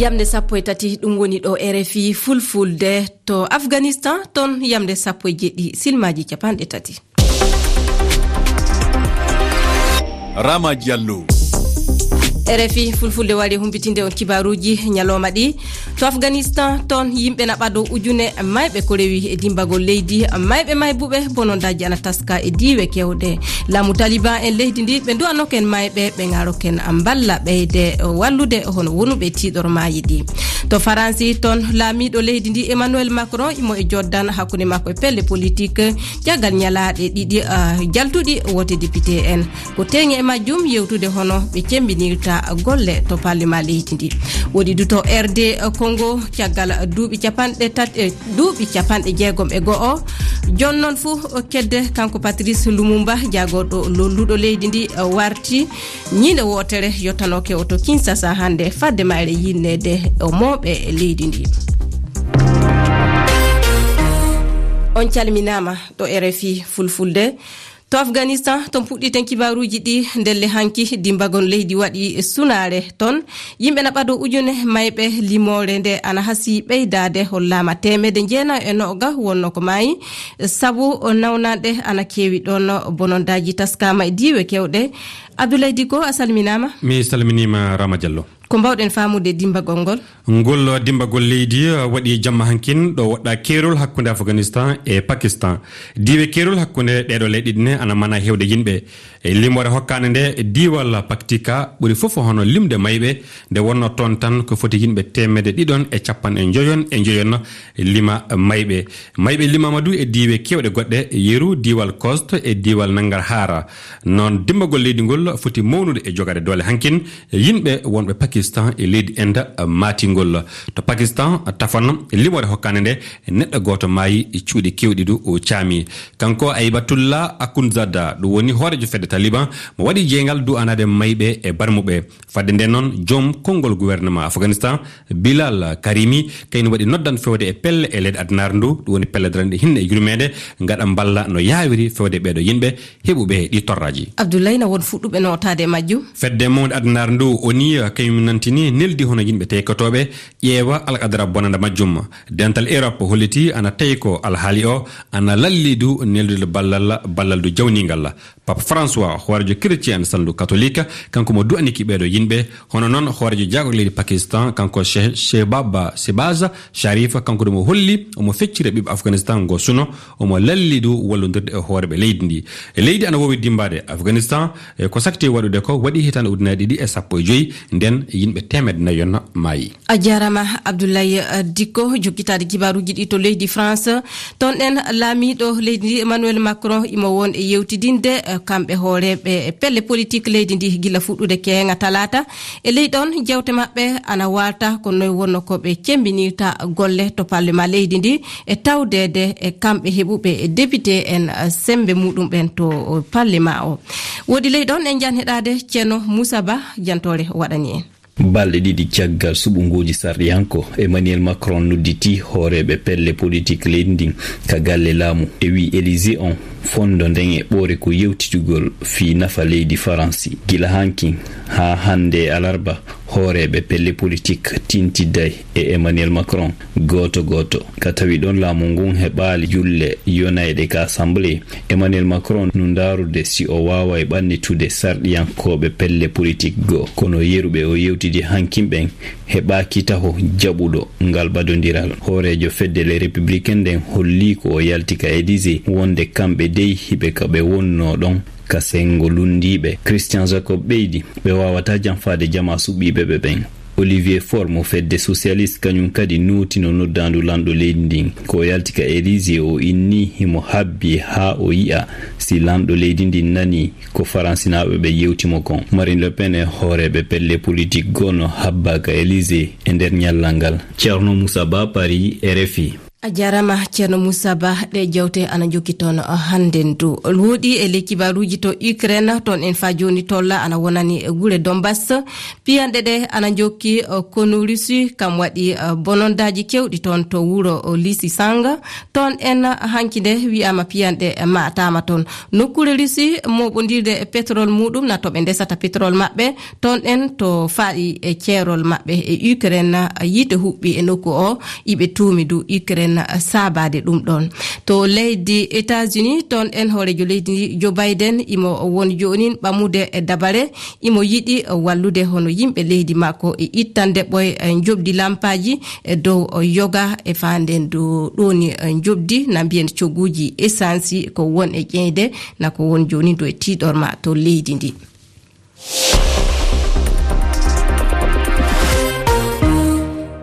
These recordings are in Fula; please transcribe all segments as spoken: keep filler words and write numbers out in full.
Yamnde sappo e tati, ɗum woni ɗo R F I Fulfulde. To Afganistan, toon yamnde sappo e jeɗɗi, silmaaji capanɗe tati. Rama Diallo. R F I Fulfulde wari humpitinde on kibaaruuji ñalooma ɗi. To Afganistan, toon yimɓe na ɓado ujune mayɓe ko rewi e dimbagol leydi. Mayɓe maybuɓe bonondaaji ana taska e diiwe kewɗe. Laamu Taliban en leydi ndi, ɓe du'anooken mayɓe, ɓe ŋaaroken mballa ɓeyde wallude hono wonuɓe tiiɗor maayi ɗi. To Faransi, toon laamiiɗo leydi ndi, Emmanuel Macron, imo e joddan hakkunde makko e pelle politik, caggal ñalaaɗe ɗiɗi, ah, jaltuɗi wote député en. Ko teeŋe e majjum yewtude hono ɓe cemmbinirta golle to parlement leydi ndi. Woɗi du to R D Congo, caggal duuɓi capanɗe tati, eh, duuɓi capanɗe jeegom e go'o. Jooni noon fuu kedde, kanko Patrice Lumumba, jaagorɗo lolluɗo leydi ndi, warti ñiinde wootere yottanooke o to Kinshasa hannde, fadde mayre yinneede o mooɓe leydi ndi. On calminaama ɗo R F I Fulfulde. To Afganistan, to puɗɗiten kibaaruuji ɗi, ndelle hanki dimbagol leydi waɗi sunaare toon. Yimɓe na ɓado ujune mayɓe, limoore nde ana hasii ɓeydaade, hollaama teemedde jeenayo e noga wonno ko maayi, sabu nawnanɗe ana keewi ɗoon, bonondaaji taskaama e diiwe kewɗe. Abdoulaye Dicko, a salminaama. Mi salminiima, Rama Diallo. Ko mbaawɗen faamude dimbagol ngol? Ngol dimbagol leydi, uh, waɗi jamma hankin ɗo woɗɗa keerol hakkunde Afganistan e Pakistan. Diiwe keerol hakkunde ɗeeɗo leyɗe ɗiɗi ne ana mana heewde yimɓe. E limoore hokkaande nde, diiwal Paktika ɓuri fof hono limde mayɓe, nde wonno toon tan ko foti yimɓe teemedde ɗiɗon e capanɗe njoyon e njoyon lima mayɓe. Mayɓe limaama du e diiwe keewɗe goɗɗe, yeru diiwal Khost e diiwal Nangarhar. Noon dimbagol leydi ngol foti mawnude e jogaade doole hankin, yimɓe wonɓe Pakistan e leydi Inde maatingol. To Pakistan, tafon limoore hokkaande nde, neɗɗo gooto maayi, cuuɗi keewɗi du o caami. Kanko Aybatullah Akhundzada, ɗum woni hooreejo fedde Taliban, mo waɗi jeeyngal du'anaade mayɓe e barmuɓe. Fadde nde noon, joom konngol gouvernement Afganistan, Bilal Karimi, kañum waɗi noddan fewde e pelle e leyɗe addunaare ndu, ɗum woni pelle daranɗe hinne e yurmeende, ngaɗa mballa no yaawiri fewde ɓeeɗo yimɓe heɓuɓe ɗi torraaji. Abdoulaye, na won fuɗɗuɓe nootaade e majjum? Fedde mawnde addunaare ndu, O N U, kañum nantini neldi hono yimɓe teykotooɓe ƴeewa alqadara bonanda majjum. Dental Europe holliti ana tawi ko alhaali o ana lalli du neldude ballal, ballal du jawningal. Pape François, hooreejo chrétien en salndu catholique, kanko mo du'aniki ɓeeɗo yimɓe. Hono noon hooreejo jaagorɗe leydi Pakistan, kanko She-, Shehbaz, Shehbaz Sharif, kanko du mo holli omo feccira ɓiɓɓe Afganistan ngo suno, omo lalli du wallondirde e hooreeɓe leydi ndi. E leydi ana woowi dimmbaade Afganistan, e ko sakti waɗude ko waɗi hitaande ujunaaji ɗiɗi e sappo e joy, nden yimɓe teemedde nayon maayi. A jaaraama, Abdoulaye, eh, Dicko, jokkitaade kibaaruuji ɗi to leydi France. Toon ɗen laamiiɗo leydi ndi, Emmanuel Macron, imo won e yewtidinde, eh, kamɓe hooreeɓe pelle politik leydi ndi gila fuɗɗude keeŋa talaata. E ley ɗon, jewte maɓɓe ana waalta ko noy wonno ko ɓe cemmbinirta golle to parlement leydi ndi, e tawdeede e kamɓe heɓuɓe e député en, eh, semmbe muɗum ɓen to, eh, parlement o. Woodi ley ɗon en njan heɗaade Ceerno Moussa Ba, jantoore o waɗani en. Balɗe ɗiɗi caggal suɓngooji sarɗiyanko, Emmanuel Macron nodditi hooreeɓe pelle politik leydi ndin ka galle laamu. E wii Élysée on, fondo nden e ɓoore ko yewtitugol fii nafa leydi Faransi. Gila hankin haa hannde e alarba, hooreeɓe pelle politik tintiday e Emmanuel Macron gooto gooto. Ka tawi ɗon laamu ngun heɓaali julle yonayɗe ka Assemblée, Emmanuel Macron no ndaarude si o waaway ɓannitude sarɗiyankooɓe pelle politik goo. Kono yeru ɓe o yewtidi hankin ɓen heɓaaki taho jaɓuɗo ngal ɓadondiral. Hooreejo fedde Les Républicains nden holli ko o yalti ka Élysée wonde kamɓe dey hiɓe ka ɓe wonnoo ɗon ka senngo lunndiiɓe. Christian Jacob ɓeydi, ɓe waawataa janfaade jamaa suɓiiɓe ɓe ɓen. Olivier Faure mo fedde socialiste kañum kadi nootino noddaandu lanɗo leydi ndin. Ko o yalti ka Élysée o inni himo habbi haa o yi'a si lanɗo leydi ndin nani ko faransinaaɓe ɓe yewti mo kon. Marine Le Pen e hooreeɓe pelle politik goo no habbaa ka Élysée e nder ñallal ngal. Ceerno Moussa Ba, Paris, R F I. A jaaraama, Ceerno Moussa Ba. Ɗe jewte ana njokki toon hannde ndu. Wooɗi e ley kibaaruuji to Ukraine, toon en faa jooni tolla ana wonani gure Donbass. Piyanɗe ɗe ana njokki, eh, konu Russie, kam waɗi, eh, bonondaaji keewɗi toon to wuro, eh, Lysychansk. Toon en hanki nde wiyaama piyanɗe maataama toon. Nokkuure Russie mooɓondirde e pétrole muuɗum, na to ɓe ndesata pétrole maɓɓe, toon en to faaɗi e ceerol maɓɓe e Ukraine, yiite huɓɓi e nokku o, iɓe tuumi du Ukraine saabaade ɗum ɗoon. To leydi États-Unis, toon en hooreejo leydi ndi, Joe Biden, imo won joonin ɓamude e dabare, imo yiɗi wallude hono yimɓe leydi makko e ittande ɓoy, eh, njoɓdi lampaaji e dow, eh, yoga e faanden du ɗooni, eh, njoɓdi na mbiyen cogguuji essence ko won e ƴeeyde na ko won jooni du e tiiɗorma to leydi ndi.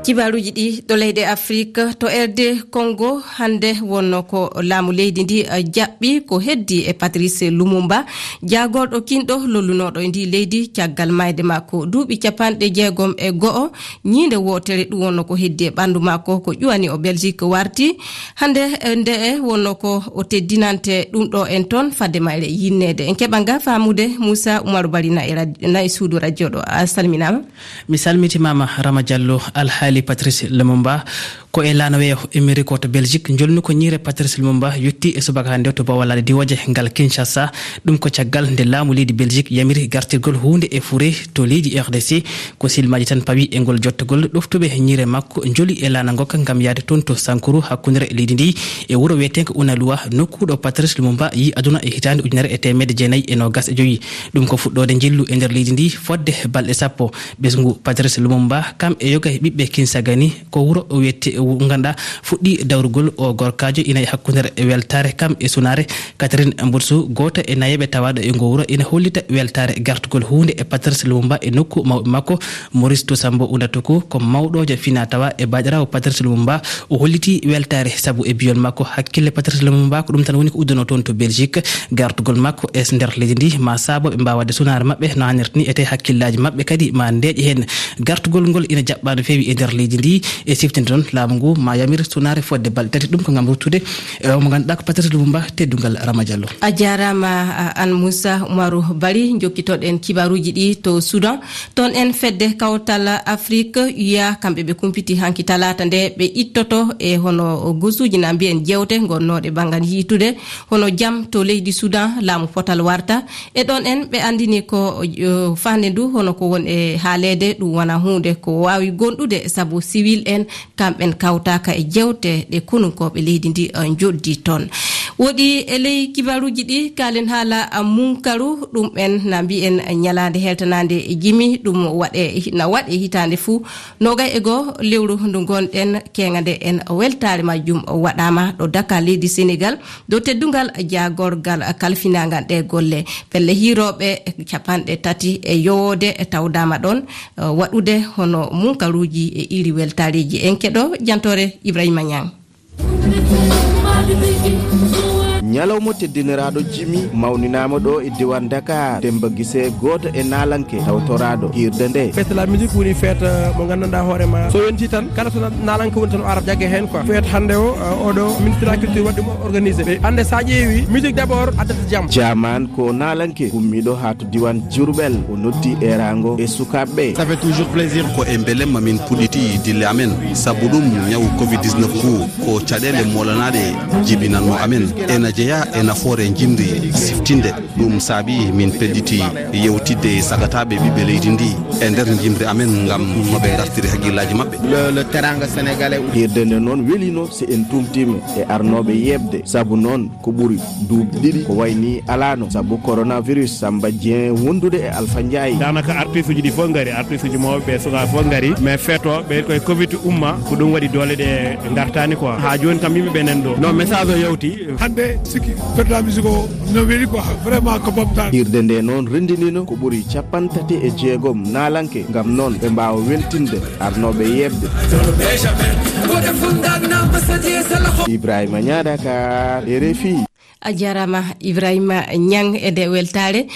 Kibaaruuji ɗi ɗo leyɗe Afrik, to R D Congo, hannde wonno ko laamu leydi ndi, eh, jaɓɓi ko heddi e Patrice Lumumba, jaagorɗo kinɗo lollunooɗo e ndi leydi caggal maayde makko duuɓi capanɗe jeegom e go'o. Ñiinde wootere ɗum wonno ko heddi e ɓanndu makko, ko ƴuwani o Belgique warti. Hannde, eh, nde e wonno ko o teddinante ɗum ɗo en toon, fadde mayre yinneede. En keɓa nga faamude Moussa Oumarou Bari na e rad-, na e suudu radio ɗo. A salminaama. Mi salmitimaama, Rama Diallo. Alhaali Patrice Lumumba ko e laana weeyo Emery ko to Belgique. Njolnu ko ñiire Patrice Lumumba yotti e subaka hannde to Bawalaade Diwooje ngal Kinshasa. Ɗum ko caggal nde laamu leydi Belgique yamiri gartirgol huunde e fure to leydi R D C. Ko silmaaji tan pawi e ngol jottogol. Ɗoftuɓe ñiire makko njoli e laana ngokka ngam yahde toon to Sankuru, hakkunde leydi ndi e wuro wiyeteengo Unalua, nokku ɗo Patrice Lumumba yi aduna e hitaande ujunere e teemedde jeenayi e noogas e jowi. Ɗum ko fuɗɗoode njillu e nder leydi ndi fodde balɗe sappo. Ɓesngu Patrice Lumumba, kam e yoga e ɓiɓɓe Kinsagani, ko wuro o wiyetee, o ngannduɗaa fuɗɗi dawrugol o gorkaajo ina e hakkunde weltaare kam e sunaare Catherine Mbutsu, gooto e nayeeɓe tawaaɗo e ngo wuro, ina hollita weltaare gartugol huunde e Patrice Lumumba e nokku mawɓe makko, Maurice Tosambo Unatoku, ko mawɗoojo fina tawa e baaɗiraawo Patrice Lumumba. O hollitii weltaare sabu e biyol makko hakkille Patrice Lumumba, ko ɗum tan woni ko uddanoo toon to Belgique. Gartugol makko e nder leydi ndi ma saabo ɓe mbaawa waɗde sunaare maɓɓe no haanirta ni, ete hakkillaaji maɓɓe kadi ma ndeeƴe heen. Gartugol ngol ina jaɓɓaa no feewi e nder leydi ndi. E siftinde noon, laamu ngu ma yamir sunaare fodde balɗe tati. Ɗum ko ngam ruttude e o mo ngannduɗaa ko Patrice Lumumba, teddungal Rama Diallo. A jaaraama, a, aan Moussa Oumarou Bari. Njokkitoɗen kibaaruuji ɗi to Soudan. Toon en fedde kawtal Afrik, U A, kamɓe ɓe kumpiti hanki talaata nde ɓe ittoto e hono gosuuji na mbiyen jeewte ngonnooɗe banngal yiitude hono jam to leydi Soudan, laamu potal warta. E ɗoon en ɓe anndini ko, eh, faande ndu hono ko won e haaleede ɗum wona huunde ko waawi gondude sabu siwil en kamɓen kawtaaka e jeewte ɗe konunkooɓe leydi ndi, eh, njoɗdi toon. Woɗi e ley kibaruuji ɗi kaalen haala, ah, munkaru, ɗum en na mbiyen ñalaande heltanaande e jimi, ɗum waɗe, na waɗe hitaande fuu. Noogay e goo lewru ndu ngonɗen, keeŋa nde en weltaare majjum waɗaama ɗo Dakar, leydi Senegal, dow teddungal jaagorgal kalfinaangal ɗe golle. Pelle hiirooɓe capanɗe tati e yowoode e tawdaama ɗoon, eh, waɗude hono munkaruuji e iri weltaareeji. En keɗo jantoore Ibrahima Niang. Ñalawma teddiniraaɗo jimi mawninaama ɗo e diiwaan Dakar. Demba Gise, gooto e naalanke tawtoraaɗo hiirde nde. Fête de la musique woni fête, euh, mo nganndanɗaa hoore ma. So yonti tan, kala to na-, naalanke woni tan o ara jagge heen quoi. Fête hannde o, euh, oɗo ministre de la culture waɗi ɗum organisé. Ɓe hannde sa ƴeewi, musique d'abord addata jam. Jaaman ko naalanke gummiiɗo haa to diiwaan Diourbel. O noddi eeraango e sukaaɓe ɓe. Ça fait toujours plaisir. Ko e mbelemma min puɗɗiti dille amen. Sabu ɗum, ñawu covid dix-neuf ngu ko caɗeele moolanaaɗe jibinannoo amen. Ena jeyaa e nafoore jimri siftinde. Ɗum saabi min pellitii yewtidde e sagataaɓe ɓiɓɓe leydi ndi e nder jimri amen ngam no ɓe ngartiri hakkillaaji maɓɓe. Le, le Teranga Sénégalais. Hiirde nde noon welino, si en tumtiima e arnooɓe yeeɓde. Sabu noon, ko ɓuri duuɓi ɗiɗi ko wayi ni alaano sabu coronavirus. Samba Dieng wondude e Alpha Ndiaye. Daanaka artiste uji ɗi fof ngari, artiste uji mawɓe ɓe, sukaaɓe fof ngari, mais feeto ɓe koye covid umma, ko ɗum waɗi doole ɗe ngartaani quoi. Haa jooni kam yimɓe ɓe nan ɗo. Non, message o yawti. Hannde sikki fête de la musique o no weli quoi, vraiment ko ɓamtaani. Hiirde nde noon renndinino ko ɓuri capanɗe tati e jeegom naalanke, ngam noon ɓe mbaawa weltinde arnooɓe yeeɓde. Ibrahima Niang, Dakar, R F I. A jaaraama Ibrahima Niang e nde weltaare.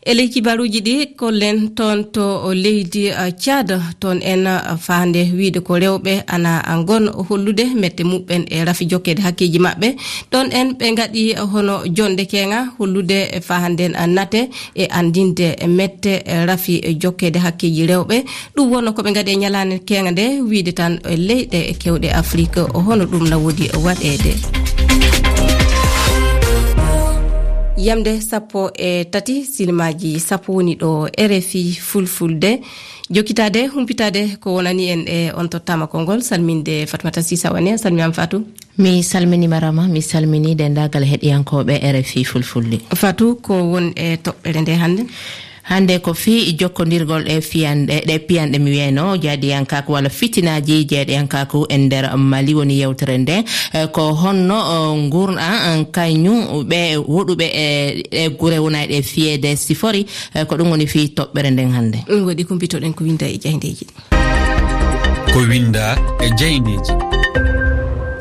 E ley kibaaruuji ɗi, kollen toon to leydi, uh, Tchad, toon en, uh, faande wiyde ko rewɓe ana ngon hollude mette muɓɓen e rafi jokkeede hakkeeji maɓɓe. Ɗoon en ɓe ngaɗi hono jonde keeŋa hollude e faanden, uh, nate e anndinde mette, eh, rafi, eh, jokkeede hakkeeji rewɓe. Ɗum wonno ko ɓe ngaɗi e ñalaande keeŋa nde, wiyde tan, eh, leyɗe kewɗe Afrik, eh, hono ɗum na woodi waɗeede. Yamde sappo e tati, silmaaji sappo woni ɗo R F I Fulfulde. Jokkitaade, humpitaade ko wonani en e on tottaama konngol, salminde Fatmata Sisa Wane. A salminaama, Fatou. Mi salminiima Rama, mi salminii denndaangal heɗiyankooɓe R F I Fulfulde. Fatou, ko won e toɓɓere nde hannde? Hannde ko fii jokkondirgol e fiyanɗe, ɗe piyanɗe mi wiyayno jaaɗiyankaaku walla fitinaaji jaaɗiyankaaku e nder Mali woni yewtere nde. Eh, ko honno, oh, nguurna, eh, kañum ɓe woɗuɓe e, e gure wonayɗe fiyeede sifori, eh, ko ɗum woni fii toɓɓere nden hannde. Ɗum waɗi kumpitoɗen ko winda e jayndeeji. Ko winda e jayndeeji.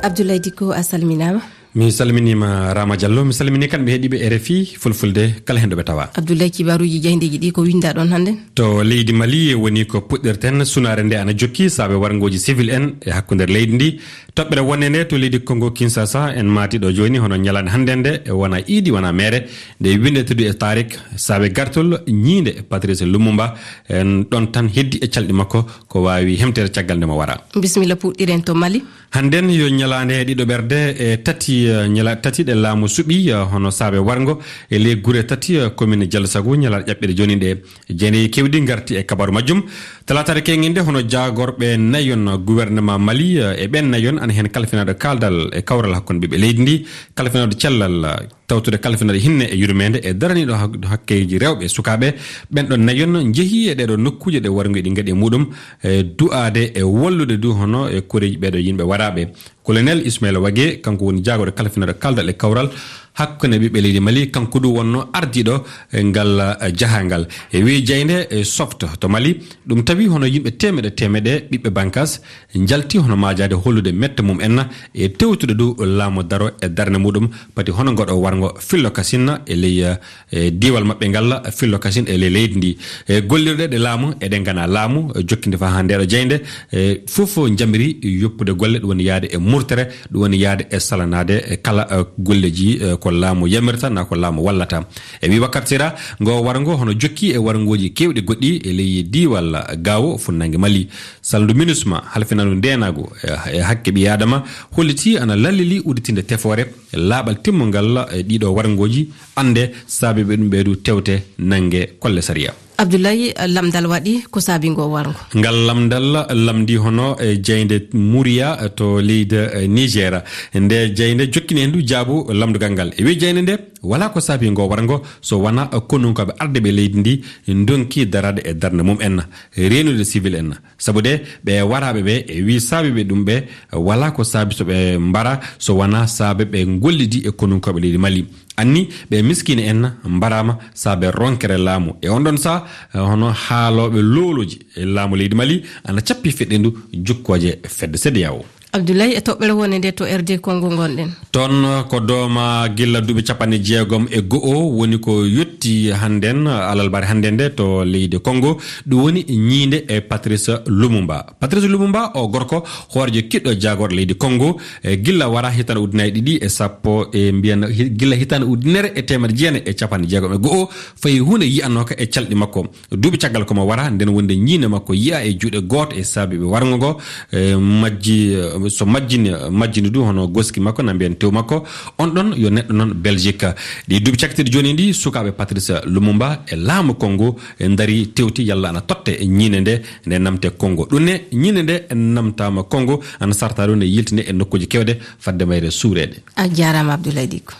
Abdoulaye Dicko, a salminaama. Mi salminiima Rama Diallo, mi salminii kamɓe heɗiiɓe R F I Fulfulde, kala heen ɗo ɓe tawa. Abdoulaye, kibaaruuji jayndeeji ɗi ko winda ɗoon hannde? To leydi Mali woni ko puɗɗirten, sunaare nde ana jokki saabe warngooji civil en e hakkunde leydi ndi. Toɓɓere wonde nde to leydi Congo Kinshasa, en maati ɗo jooni, hono ñalaande hannde nde, e wona iidi, wona meere, nde winndete du e tarik, saabe gartol ñiinde Patrice Lumumba, en ɗon tan heddi e calɗi makko, ko waawi hemteede caggal nde mo wara. Bisimilla, puɗɗiren to Mali. Hannden yo ñalaande ɗiɗo ɓerde e tati, eh, ñala-, tati ɗe laamu suɓi, eh, hono saabe warngo e ley gure tati, eh, commune Diallo Sagu, ñalaande ƴaɓɓiire jooni nde. Jeeneyi kewɗi ngarti e kabaru majjum. Talaataare keeŋŋe nde, hono jaagorɓe nayon gouvernement Mali, eh, e ɓen nayon ana heen kalfinaaɗo kaaldal e kawral hakkunde ɓiɓɓe leydi ndi, kalfinaaɗo cellal, eh, tawtude kalfinaaɗo hinne e yurmeende e daraniiɗo hak-, hakkeeji rewɓe e sukaaɓe. Ɓen ɗon nayon njehii e ɗee ɗoo nokkuuje ɗe warngo eɗi ngaɗi e muɗum, e du'aade e wallude du hono e koreeji ɓee ɗoo yimɓe waraaɓe. Colonel Ismaila Wage, kanko woni jaagorɗo kalfinaaɗo kaaldal e kawral hakkunde ɓiɓɓe leydi Mali, kanko du wonno ardiiɗo e ngal, eh, jahangal. E wii jaaynde, eh, Soft to Mali, ɗum tawi hono yimɓe teemeɗe teemeɗe ɓiɓɓe bankas njalti hono maajaade hollude mette mum en e tewtude du laamu daro e darnde muɗum, pati hono ngoɗo warngo Fillo Kasin e ley, eh, diiwal maɓɓe ngal, Fillo Kasin e ley leydi ndi. E gollirɗe ɗe laamu, eɗen ngana laamu, eh, jokkinde faa haa ndeeɗo jaaynde, eh, fof njamiri yoppude golle, ɗum woni yahde e murtere, ɗum woni yahde e salanaade e kala, eh, golleji, eh, ko laamu yamirta, naa ko laamu wallata. E wii Wakkati Sira, ngo warngo hono jokki e warngooji keewɗi goɗɗi e ley diiwal Gaawo, funnange Mali. Salndu MINUSMA, halfinaandu ndeenaagu e, e hakke ɓii Aadama, hollitii ana lallilii udditinde tefoore e laaɓal timmungal e ɗiɗo warngooji, annde saabe ɓe ɗum ɓeydu tewte nannge kolle sariya. Abdoulaye, lamndal waɗi ko saabi ngo warngo? Ngal lamndal lamndii hono e jaaynde Muriya to leydi, eh, Niger. Nde jaaynde jokkini heen du jaabu lamndugal ngal. E wii jaaynde nde, walaa ko saabi ngo warngo so wonaa konunkooɓe ardiiɓe leydi ndi ndonki daraade e darnde mum en, reenude civil en. Sabu de ɓe waraaɓe ɓe, e wii saabi ɓe ɗum ɓe, walaa ko saabi so ɓe mbara so wonaa saabe ɓe ngollidi e konunkooɓe leydi Mali. Anni ɓe miskiine en mbaraama saabe ronkere laamu. E on ɗon saha, eh, hono haalooɓe loolooji e laamu leydi Mali ana cappi feɗɗendu jukkooje fedde CEDEAO. Abdoulaye, e toɓɓere wonde nde to R D Congo ngonɗen. Toon ko dooma gilla duuɓi capanɗe jeegom e go'o woni ko yotti hannden, alarba hannde nde to leydi Congo. Ɗum woni ñiinde e Patrice Lumumba. Patrice Lumumba, o gorko hoorejo kiɗɗo jaagorɗo leydi Congo, e gilla wara hitaande ujunnaji ɗiɗi e sappo, e mbiyan hi-, gilla hitaande ujunere e teemedde jeenayi e capanɗe jeegom e go'o, fayi huunde yi'anooka e calɗi makko. Duuɓi caggal ko mo wara, nden wonde ñiinde makko yi'a e juuɗe gooto e saabiiɓe warngo ngo, e majji, so majjini, majjini du hono goski makko, na mbiyan tew makko. On ɗon yo neɗɗo noon Belgique. Ɗi duuɓi cakkitirɗi jooni ndi, sukaaɓe Patrice Lumumba e laamu Congo e ndari tewti yalla ana totte e ñiinde nde, nde namte Congo. Ɗum ne, ñiinde nde namtaama Congo, ana sarta ɗo nde yiltine e nokkuuji kewɗe fadde mayre suureede. A jaaraama, Abdoulaye Dicko.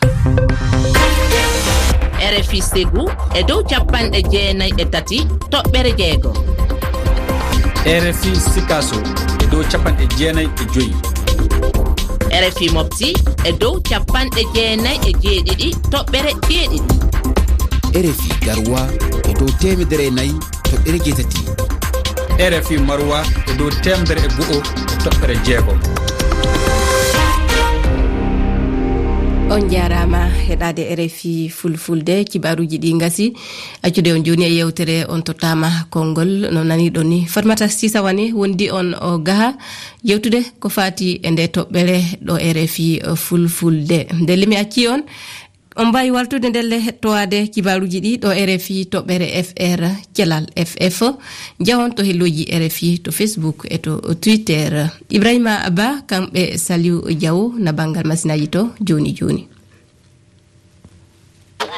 R F I Ségou e dow capanɗe jeenayi e tati toɓɓere jeego. R F I Sikasso e dow capanɗe jeenayi e joyi. R F I Mopti e dow capanɗe jeenayi e jeeɗiɗi toɓɓere jeeɗiɗi. R F I Garoua e dow teemedere e nayi toɓɓere jeetati. R F I Maroua e dow teemedere e go'o e toɓɓere jeegom. On njaaraama heɗaade R F I Fulfulde. Kibaaruuji ɗi ngasi. Accude on jooni e yeewtere On Tottaama Konngol. No naniiɗon ni, Fatmata Sisa wani wondi on o gaha yewtude ko faati e nde toɓɓere ɗo R F I Fulfulde. Nde limi acci on, on mbaawi waltude ndelle heɗtowaade kibaaruuji ɗi ɗo R F I toɓɓere F R, Celal F F. Njahon to helloji R F I to Facebook e to Twitter. Ibrahima Ba kamɓe Saliu Diaw na banngal masinaaji to jooni jooni.